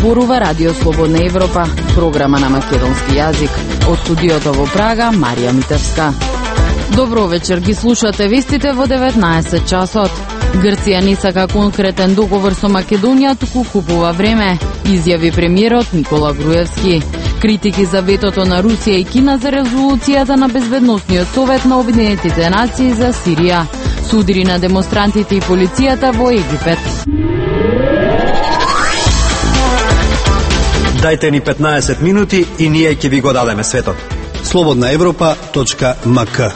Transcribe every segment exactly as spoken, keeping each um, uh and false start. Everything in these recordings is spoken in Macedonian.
зборува Радио Слободна Европа, програма на македонски јазик. Од студиото во Прага, Марија Митевска. Добро вечер, ги слушате вестите во деветнаесет часот. Грција не сака конкретен договор со Македонија, туку купува време, изјави премиерот Никола Груевски. Критики за ветото на Русија и Кина за резолуцијата на Безбедносниот совет на Обединетите нации за Сирија. Судири на демонстрантите и полицијата во Египет. Дајте ни петнаесет минути и ние ќе ви го дадеме светот. слободна европа точка ем ка.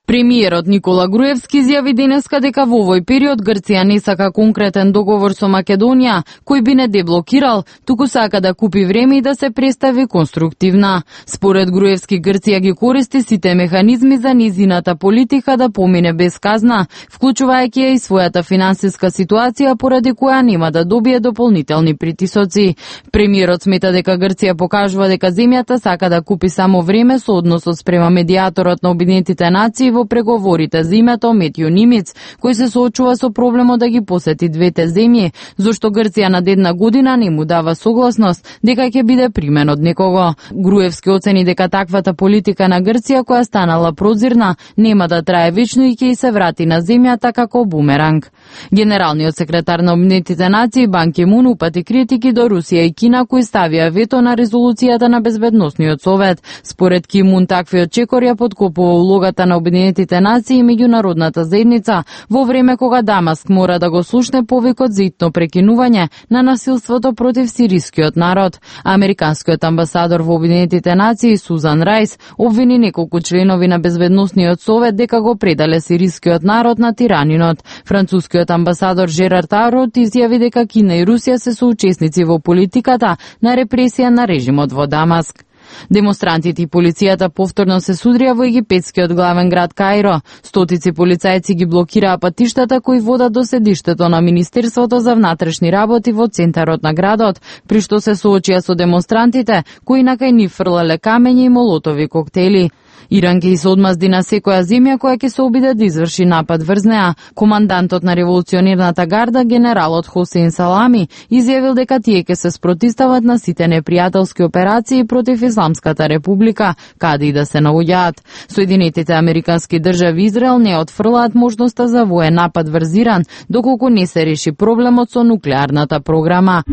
Премиерот Никола Груевски изјави денеска дека во овој период Грција не сака конкретен договор со Македонија, кој би не деблокирал, туку сака да купи време и да се представи конструктивна. Според Груевски, Грција ги користи сите механизми за низината политика да помине без казна, вклучувајќи ја и својата финансиска ситуација, поради која нема да добие дополнителни притисоци. Премиерот смета дека Грција покажува дека земјата сака да купи само време со односот спрема медијаторот на Обединетите нации во преговорите за името Метју Нимиц, кој се соочува со проблемот да ги посети двете земји, зашто Грција на една година не му дава согласност дека ќе биде примен од некого. Груевски оцени дека таквата политика на Грција, која станала прозирна, нема да трае вечно и ќе се врати на земјата како бумеранг. Генералниот секретар на Обединетите нации Бан Ки Мун упати критики до Русија и Кина, кои ставија вето на резолуцијата на Безбедносниот совет. Според Ки Мун, таквиот чекор ја подкопува улогата на Обединетите нации и меѓународната заедница во време кога Дамаск мора да го слушне повикот за итно прекинување на насилството против сирискиот народ. Американскиот амбасадор во Обединетите нации Сузан Рајс обвини неколку членови на Безбедносниот совет дека го предале сирискиот народ на тиранинот. Францускиот амбасадор Жерар Тарот изјави дека Кина и Русија се соучесници во политиката на репресија на режимот во Дамаск. Демонстрантите и полицијата повторно се судрија во египетскиот главен град Каиро. Стотици полицајци ги блокираа патиштата кои водат до седиштето на Министерството за внатрешни работи во центарот на градот, при што се соочија со демонстрантите кои на кај нив фрлале камења и молотови коктели. Иран ќе се одмазди на секоја земја која ќе се обиде да изврши напад врз неа. Командантот на револуционерната гарда, генералот Хосеин Салами, изјавил дека тие ќе се спротивстават на сите непријателски операции против Исламската република, каде и да се наоѓаат. Соединетите американски држави и Израел не отфрлаат можноста за воен напад врз Иран, доколку не се реши проблемот со нуклеарната програма.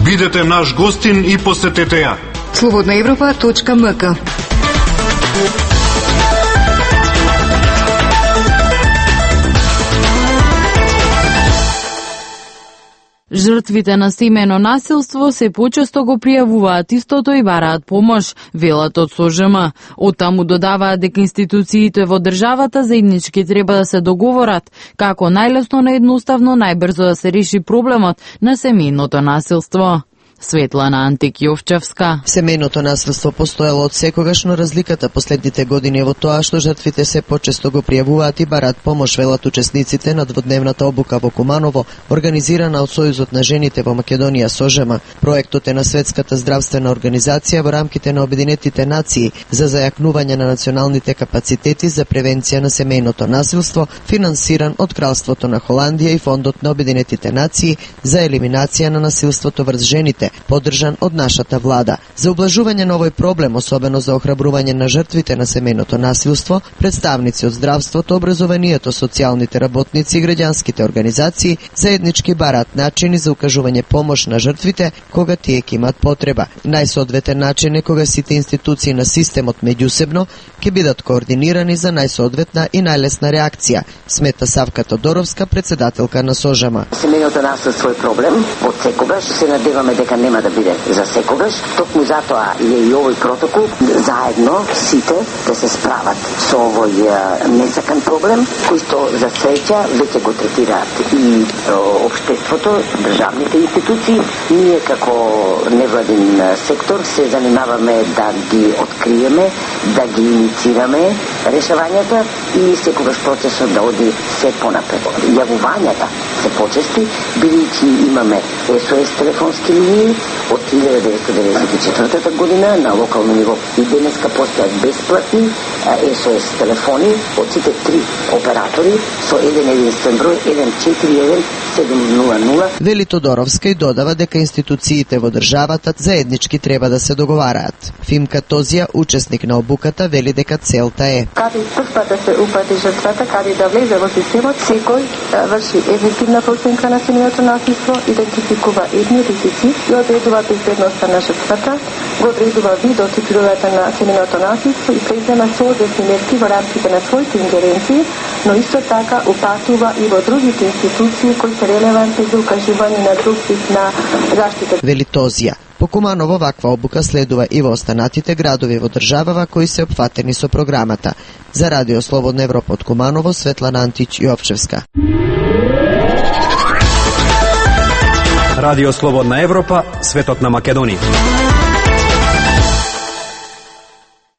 Бидете наш гостин и посетете ја. слободна европа точка ем ка. Жртвите на семејно насилство се почесто го пријавуваат истото и бараат помош, велат од СОЖМ. Оттаму додаваат дека институциите во државата заеднички треба да се договорат како најлесно, наедноставно, најбрзо да се реши проблемот на семејното насилство. Светлана Антик-Јовчевска. Семејното насилство постоело од секогаш, но разликата последните години е во тоа што жртвите се почесто го пријавуваат и бараат помош, велат учесниците на дводневната обука во Куманово, организирана од Сојузот на жените во Македонија СОЖМ. Проектот е на Светската здравствена организација во рамките на Обединетите нации за зајакнување на националните капацитети за превенција на семејното насилство, финансиран од Кралството на Холандија и Фондот на Обединетите нации за елиминација на насилството врз жените, поддржан од нашата влада. За ублажување на овој проблем, особено за охрабрување на жртвите на семејното насилство, представници од здравството, образованието, социјалните работници и граѓанските организации заеднички бараат начини за укажување помош на жртвите кога тие ќе имаат потреба. Најсоодветен начин е кога сите институции на системот меѓусебно ќе бидат координирани за најсоодветна и најлесна реакција, смета Савка Тодоровска, председателка на СОЖМ. Семејното насилство е проблем од секогаш, се надеваме дека нема да биде за секогаш. Токму затоа е и овој протокол, заедно сите да се справат со овој несакан проблем, кој што за среќа веќе го третираат и општеството, државните институции. Ние како невладин сектор се занимаваме да ги откриеме, да ги инициираме решавањата и секогаш процесот да оди се понапред. Јавувањата се почести, бидејќи имаме ес о ес телефонски линии оператори од илјада деветстотини деветдесет и четвртата година на локално ниво. И денеска постојат бесплатни ес о ес телефони од сите три оператори со еден единствен број еден четири еден седум нула нула. Вели Тодоровска и додава дека институциите во државата заеднички треба да се договараат. Фимка Тозија, учесник на обуката, вели дека целта е каде првпат да се упати жртвата, каде да влезе во системот, секој да врши ефективна проценка на семејното насилство, идентификува етни ризици и одредува безбедноста на жртвата, го одредува видот и природата на семејното насилство и презема соодветни мерки во рамките на своите ингеренции, но исто така упатува и во другите институции кои се релевантни за укажување на друг вид на заштита. Вели Тозија. По Куманово ваква обука следува и во останатите градови во државава кои се опфатени со програмата. За Радио Слободна Европа од Куманово, Светлана Антич Јовчевска. Радио Слободна Европа, светот на Македонија.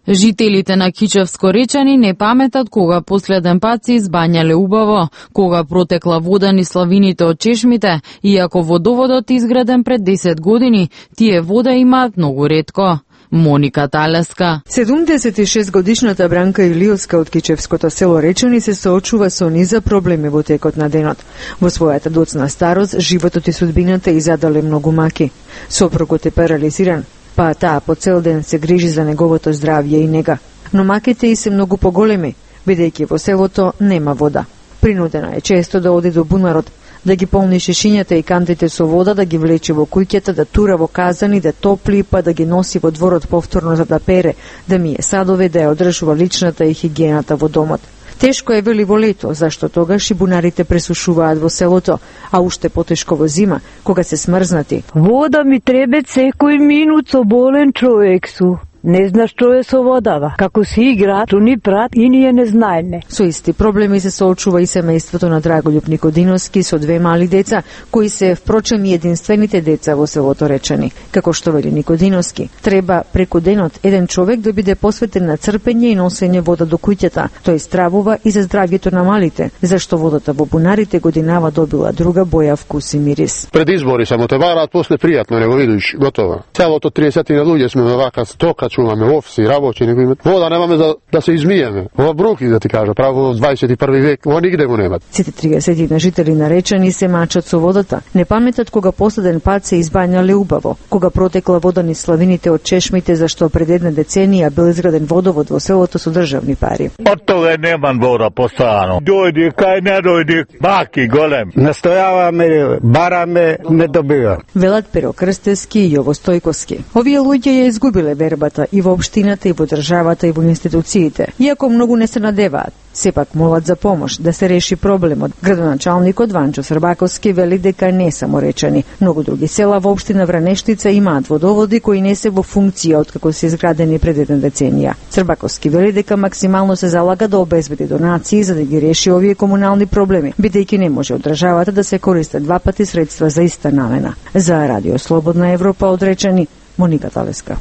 Жителите на Кичевско Речани не паметат кога последен пат се избањале убаво, кога протекла вода низ славините од чешмите, иако водоводот изграден пред десет години, тие вода имаат многу ретко. Моника Талеска. седумдесет и шест годишната Бранка Илиовска од Кичевското село Речани се соочува со низа проблеми во текот на денот. Во својата доцна старост, животот и судбината и задале многу маки. Сопругот е парализиран, па таа по цел ден се грижи за неговото здравје и нега. Но маките и се многу поголеми, бидејќи во селото нема вода. Принудена е често да оди до бунарот, да ги полни шишињата и кантите со вода, да ги влече во куќата, да тура во казани, да топли, па да ги носи во дворот повторно за да пере, да мие садове, да ја одржува личната и хигиената во домот. Тешко е, вели, во лето, зашто тогаш и бунарите пресушуваат во селото, а уште потешко во зима, кога се смрзнати. Вода ми требе секој минут, со болен човек су. Не знаш што е со водава. Како си игра, ту ни прат и ние не знаеме. Со исти проблеми се соочува и семејството на Драголјуб Никодиновски со две мали деца, кои се впрочем и единствените деца во селото Речани. Како што вели Никодиновски, треба преку денот еден човек да биде посветен на црпење и носење вода до куќата. Тој стравува и за здравјето на малите, зашто водата во бунарите годинава добила друга боја, вкус и мирис. Пред избори само те вараат, после пријатно не го видиш, готово. Целото триесет на луѓе сме вака стока, чуваме офиси, работи, не го имат. Вода немаме за да се измиеме. Ова бруки, да ти кажа, право во дваесет и први век, ова нигде го немат. Сите триесет на жители на Речани се мачат со водата. Не паметат кога последен пат се избањале убаво, кога протекла вода низ славините од чешмите, зашто пред една деценија бил изграден водовод во селото со државни пари. Од тога немам вода постојано. Дојди, кај не дојди, баки голем. Настојаваме, бараме, не добива. Велат Перо Крстевски и Јово Стојковски. Овие луѓе ја изгубиле вербата и во општината, и во државата, и во институциите. Иако многу не се надеваат, сепак молат за помош да се реши проблемот. Градоначалникот Ванчо Србаковски вели дека не само Речани. Многу други села во општина Вранештица имаат водоводи кои не се во функција откако се изградени пред една деценија. Србаковски вели дека максимално се залага да обезбеди донации за да ги реши овие комунални проблеми, бидејќи не може од државата да се користат два пати средства за иста намена. За Радио Слободна Европа од Речани, Моника Талеска.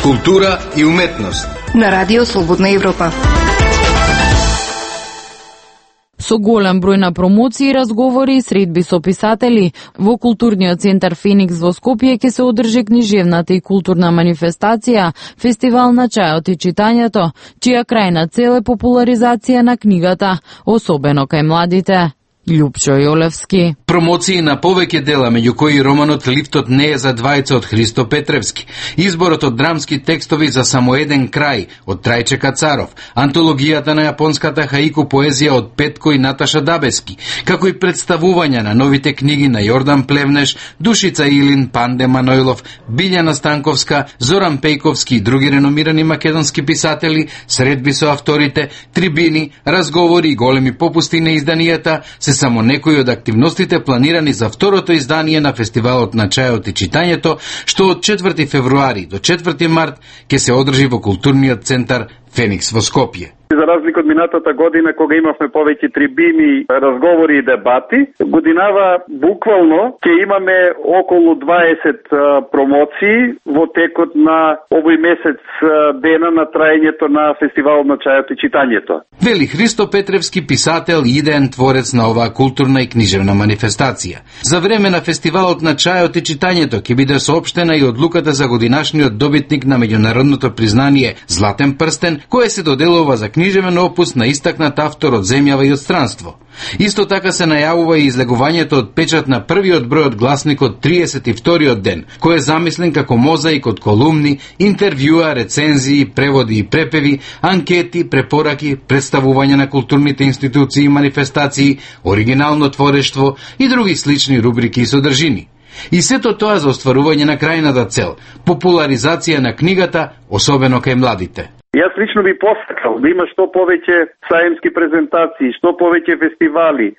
Култура и уметност на Радио Слободна Европа. Со голем број на промоции, разговори и средби со писатели, во културниот центар Феникс во Скопје ќе се одржи книжевната и културна манифестација, фестивал на чајот и читањето, чија крајна цел е популаризација на книгата, особено кај младите. Љупчо Јолевски. Промоции на повеќе дела, меѓу кои романот Лифтот не е за двајца од Христо Петревски, изборот од драмски текстови за само еден крај од Трајче Кацаров, антологијата на јапонската хаику поезија од Петко и Наташа Дабески, како и представување на новите книги на Јордан Плевнеш, Душица Илин, Панде Манојлов, Билјана Станковска, Зоран Пејковски и други реномирани македонски писатели, средби со авторите, трибини, разговори и големи попусти на изданијата се само некои од активностите планирани за второто издание на фестивалот на чајот и читањето, што од четврти февруари до четврти март ќе се одржи во културниот центар Феникс во Скопје. За разлика од минатата година, кога имавме повеќе трибини, разговори и дебати, годинава буквално ќе имаме околу дваесет промоции во текот на овој месец дена на траењето на фестивалот на чајот и читањето. Вели Христо Петревски, писател и идеен творец на оваа културна и книжевна манифестација. За време на фестивалот на чајот и читањето ќе биде соопштена и одлуката за годинашниот добитник на меѓународното признание Златен прстен, кое се доделува за книжевен опус на истакнат автор од земјава и од странство. Исто така се најавува и излегувањето од печат на првиот број од гласникот триесет и вториот ден, кој е замислен како мозаик од колумни, интервјуа, рецензии, преводи и препеви, анкети, препораки, представување на културните институции и манифестации, оригинално творештво и други слични рубрики и содржини. И сето тоа за остварување на крајната цел – популаризација на книгата, особено кај младите. Јас лично би посакал да има што повеќе саемски презентации, што повеќе фестивали,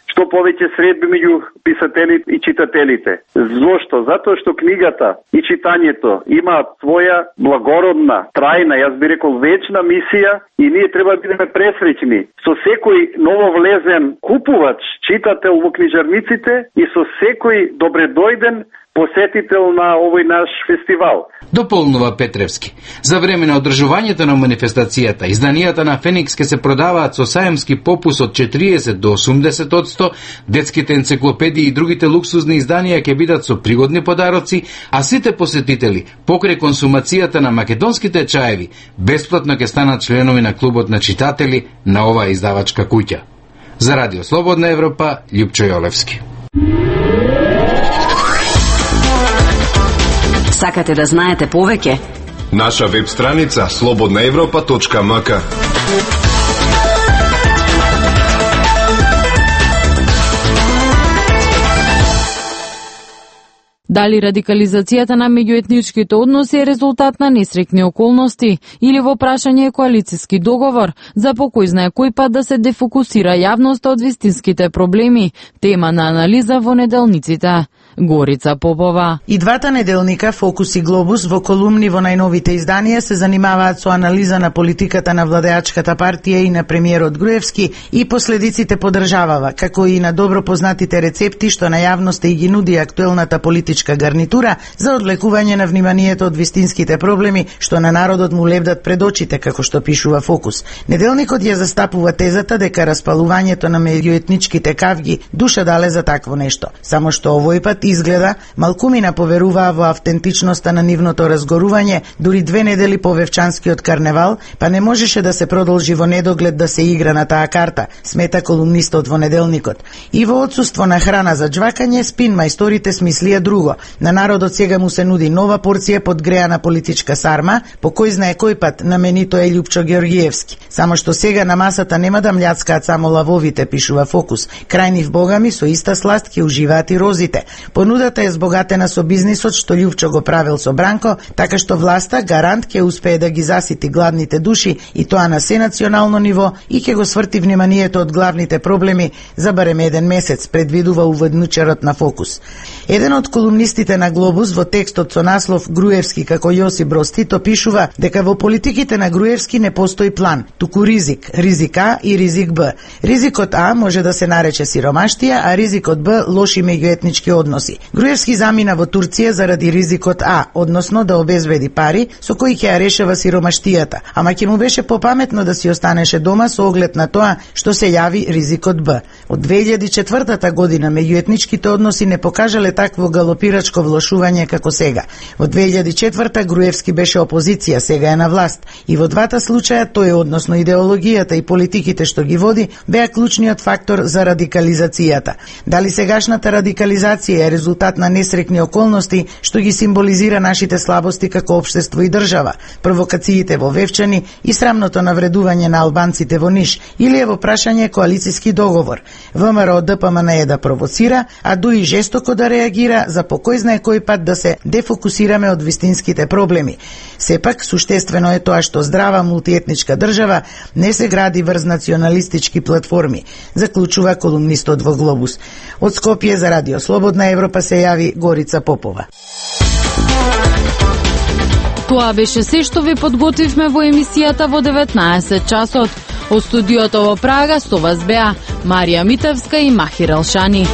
што повеќе средби меѓу писателите и читателите. Зошто? Затоа што книгата и читањето имаат своја благородна, трајна, јас би рекол вечна мисија и ние треба да бидеме пресреќни со секој нововлезен купувач, читател во книжарниците и со секој добредојден посетител на овој наш фестивал. Дополнува Петревски. За време на одржувањето на манифестацијата, изданијата на Феникс ке се продаваат со саемски попус од четириесет до осумдесет одсто, детските енциклопедии и другите луксузни изданија ќе бидат со пригодни подароци, а сите посетители, покрај консумацијата на македонските чаеви, бесплатно ќе станат членови на клубот на читатели на оваа издавачка куќа. За Радио Слободна Европа, Љупчо Јолевски. Сакате да знаете повеќе? Наша веб страница слободна европа точка ем ка. Дали радикализацијата на меѓуетничките односи е резултат на несреќни околности или во прашање е коалициски договор, за по кој знае кој пат да се дефокусира јавноста од вистинските проблеми, тема на анализа во неделниците. Горица Попова. И двата неделника Фокус и Глобус во колумни во најновите изданија се занимаваат со анализа на политиката на владеачката партија и на премиерот Груевски и последиците по државава, како и на добро познатите рецепти што на јавноста и ги нуди актуелната политичка гарнитура за одлекување на вниманието од вистинските проблеми што на народот му лебдат пред очите, како што пишува Фокус. Неделникот ја застапува тезата дека распалувањето на меѓуетничките кавги душа дале за такво нешто, само што овој пат изгледа малкумина поверуваа во автентичноста на нивното разгорување, дури две недели по Вевчанскиот карневал, па не можеше да се продолжи во недоглед да се игра на таа карта, смета колумнистот во неделникот. И во отсуство на храна за џвакање, спин мајсторите смислија друго. На народот сега му се нуди нова порција подгреана политичка сарма, по кој знае кој пат на менито е Љупчо Георгиевски. Само што сега на масата нема да мљацкаат само лавовите, пишува Фокус. Крај нив богами со иста сласт ќе уживаат и розите. Понудата е збогатена со бизнисот што Љупчо го правил со Бранко, така што власта гарант ќе успее да ги засити гладните души и тоа на сенационално ниво и ќе го сврти вниманието од главните проблеми за барем еден месец, предвидува уводничарот на Фокус. Еден од колумнистите на Глобус во текстот со наслов Груевски како Јосип Броз Тито пишува дека во политиките на Груевски не постои план, туку ризик, ризик А и ризик Б. Ризикот А може да се нарече сиромаштија, а ризикот Б лоши меѓуетнички односи. Груевски замина во Турција заради ризикот А, односно да обезбеди пари со кои ќе ја решава сиромаштијата, ама ќе му беше попаметно да си останеше дома со оглед на тоа што се јави ризикот Б. Од две илјади и четвртата година меѓуетничките односи не покажале такво галопирачко влошување како сега. Во две илјади и четврта Груевски беше опозиција, сега е на власт. И во двата случаја тој, односно идеологијата и политиките што ги води, беа клучниот фактор за радикализацијата. Дали сегашната радикализација е резултат на несреќни околности што ги символизира нашите слабости како општество и држава, провокациите во Вевчани и срамното навредување на албанците во Ниш, или е во прашање коалициски договор. ВМРО ДПМН е да провоцира, а дуи жестоко да реагира за по кој знае кој пат да се дефокусираме од вистинските проблеми. Сепак, суштествено е тоа што здрава мултиетничка држава не се гради врз националистички платформи, заклучува колумнистот во Глобус. Од Скопје за Радио Слободна Европа се јави Горица Попова. Тоа беше се што ви подготвивме во емисијата во деветнаесет часот. Од студиото во Прага со вас беа Марија Митевска и Махир Алшани.